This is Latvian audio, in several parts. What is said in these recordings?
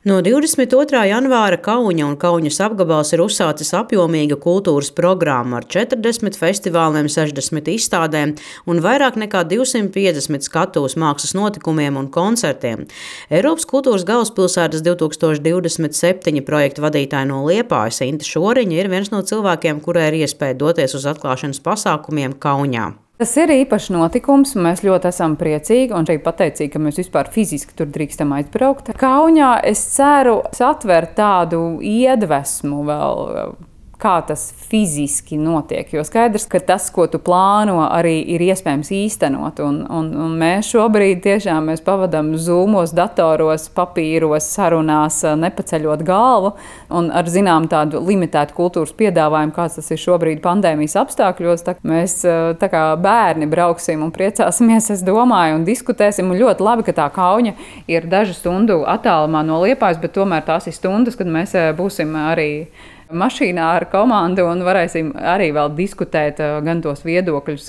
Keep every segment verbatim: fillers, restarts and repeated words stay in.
No divdesmit otrā janvāra Kauņa un Kauņas apgabals ir uzsācis apjomīga kultūras programma ar četrdesmit festivāliem, sešdesmit izstādēm un vairāk nekā divsimt piecdesmit skatuves mākslas notikumiem un koncertiem. Eiropas kultūras galvaspilsētas divtūkstoš divdesmit septiņi projekta vadītāja no Liepājas Inte Šoriņa ir viens no cilvēkiem, kurai ir iespēja doties uz atklāšanas pasākumiem Kauņā. Tas ir īpašs notikums, un mēs ļoti esam priecīgi un šeit pateicīgi, ka mēs vispār fiziski tur drīkstam aizbraukt. Kauņā es ceru atvert tādu iedvesmu vēl, kā tas fiziski notiek. Jo skaidrs, ka tas, ko tu plāno, arī ir iespējams īstenot. Un, un, un mēs šobrīd tiešām mēs pavadām zūmos, datoros, papīros, sarunās, nepaceļot galvu. Un ar zinām tādu limitētu kultūras piedāvājumu, kāds tas ir šobrīd pandēmijas apstākļos. Tā mēs tā kā bērni brauksim un priecāsimies, es domāju, un diskutēsim. Un ļoti labi, ka tā Kauņa ir dažu stundu attālumā no Liepājas, bet tomēr tās ir stundas, kad mēs būsim arī mašīnā ar komandu un varēsim arī vēl diskutēt gan tos viedokļus,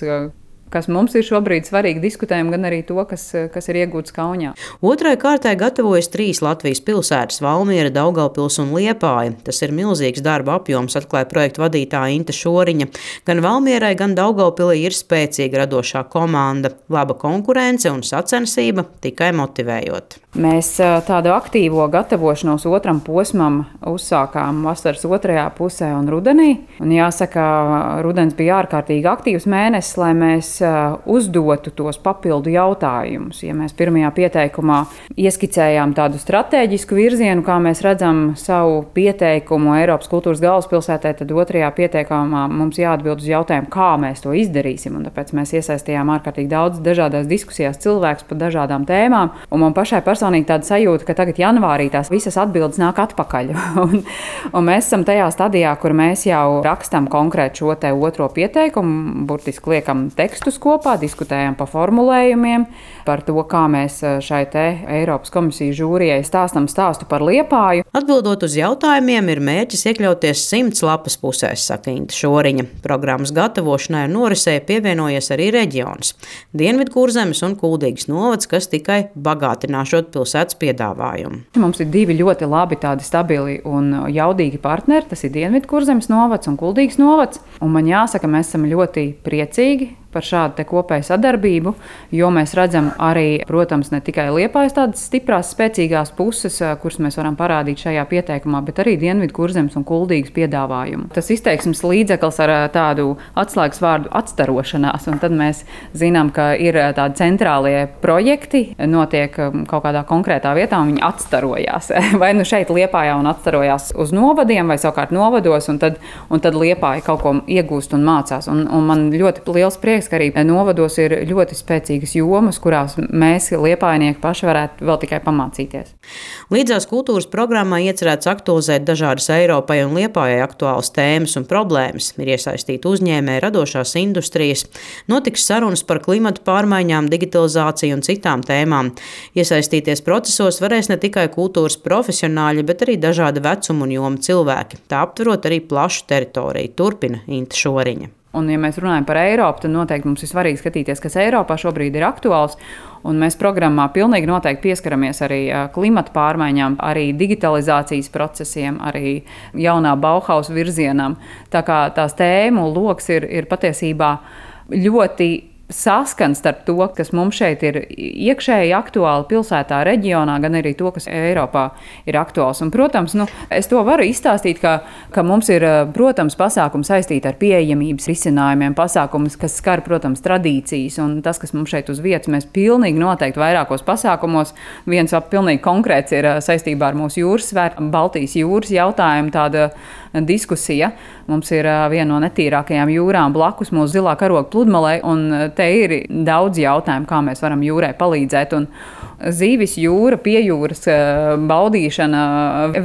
kas mums ir šobrīd svarīgi diskutējam, gan arī to, kas, kas ir iegūts Kauņā. Otrai kārtai gatavojas trīs Latvijas pilsētas – Valmiera, Daugavpils un Liepāja. Tas ir milzīgs darba apjoms, atklāja projekta vadītāja Inte Šoriņa. Gan Valmierai, gan Daugavpilī ir spēcīga radošā komanda, laba konkurence un sacensība tikai motivējot. Mēs tādu aktīvo gatavošanos otram posmam uzsākām vasaras otrajā pusē un rudenī. Un jāsaka, rudens bija ārkārtīgi aktīvs mēnesis, lai mēs uzdotu tos papildu jautājumus. Ja mēs pirmajā pieteikumā ieskicējām tādu stratēģisku virzienu, kā mēs redzam savu pieteikumu Eiropas kultūras galvaspilsētai, tad otrajā pieteikumā mums jāatbild uz jautājumu, kā mēs to izdarīsim. Un tāpēc mēs iesaistījām ārkārtīgi daudz dažādās diskusijās cilvēkus par dažādām tēmām. Un man pašai personīgi tāda sajūta, ka tagad janvārī tās visas atbildes nāk atpakaļ. un, un mēs esam tajā stadijā, kur mēs jau rakstam konkrēt šo te otro pieteikumu, burtiski liekam tekstus kopā, diskutējam par formulējumiem, par to, kā mēs šai te Eiropas komisijas žūrijai stāstam stāstu par Liepāju. Atbildot uz jautājumiem, ir mērķis iekļauties simts lapas pusēs, saka Inte Šoriņa. Programmas gatavošanai un norisei pievienojies arī reģions – Dienvidkurzemes un Kuldīgas novads, kas tikai bagātināšot pilsētas piedāvājumu. Mums ir divi ļoti labi tādi stabili un jaudīgi partneri, tas ir Dienvidkurzemes novads un Kuldīgas novads. Un man jāsaka, mēs esam ļoti priecīgi par šādu te kopēju sadarbību, jo mēs redzam arī, protams, ne tikai Liepājas tādas stiprās, spēcīgās puses, kuras mēs varam parādīt šajā pieteikumā, bet arī Dienvidkurzemes un Kuldīgas piedāvājumu. Tas izteiksmes līdzeklis ar tādu atslēgas vārdu atstarošanās, un tad mēs zinām, ka ir tādi centrālie projekti, notiek kaut kādā konkrētā vietā, un viņi atstarojās. Vai nu šeit Liepājā un atstarojās uz novadiem, vai savukārt novados, un tad, un tad Liepāja kaut ko iegūst un mācās. Un, un man ļoti liels prieks, ka arī novados ir ļoti spēcīgas jomas, kurās mēs, liepājnieki, paši varētu vēl tikai pamācīties. Līdzās kultūras programmā iecerēts aktualizēt dažādas Eiropai un Liepājai aktuālas tēmas un problēmas. Ir iesaistīti uzņēmēji, radošās industrijas, notiks sarunas par klimatu pārmaiņām, digitalizāciju un citām tēmām. Iesaistīties procesos varēs ne tikai kultūras profesionāļi, bet arī dažāda vecuma un joma cilvēki. Tā aptverot arī plašu teritoriju, turpina Inte Šoriņa. Un, ja mēs runājam par Eiropu, tad noteikti mums ir svarīgi skatīties, kas Eiropā šobrīd ir aktuāls. Un mēs programmā pilnīgi noteikti pieskaramies arī klimata pārmaiņām, arī digitalizācijas procesiem, arī jaunā Bauhaus virzienam. Tā kā tās tēmu loks ir, ir patiesībā ļoti saskans starp to, kas mums šeit ir iekšēji aktuāli pilsētā, reģionā, gan arī to, kas Eiropā ir aktuāls. Un, protams, nu, es to varu izstāstīt, ka, ka mums ir, protams, pasākumi saistīti ar pieejamības risinājumiem, pasākumus, kas skar, protams, tradīcijas, un tas, kas mums šeit uz vietas, mēs pilnīgi noteikti vairākos pasākumos. Viens pilnīgi konkrēts ir saistībā ar mūsu jūras svētku, Baltijas jūras jautājumu, tāda diskusija. Mums ir viena no netīrākajām jūrām blakus mūsu zilā karoga pludmalei, un te ir daudz jautājumu, kā mēs varam jūrai palīdzēt. Un zīvis jūra, piejūras baudīšana,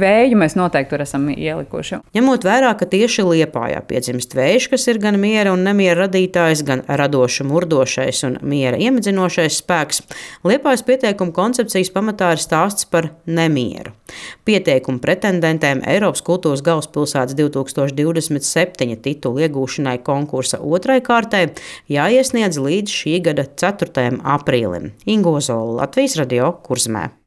vēju mēs noteikti tur esam ielikuši. Ņemot vērā, ka tieši Liepājā piedzimst vējš, kas ir gan miera un nemiera radītājs, gan radoša murdošais un miera iemidzinošais spēks, Liepājas pieteikuma koncepcijas pamatā ir stāsts par nemieru. Pieteikumu pretendentēm Eiropas kultūras galvaspilsētas divtūkstoš divdesmit septiņi titulu iegūšanai konkursa otrai kārtai jāiesniedz līdz šī gada ceturtajam aprīlim. Ingo Zola, Latvijas radio Kurzemē.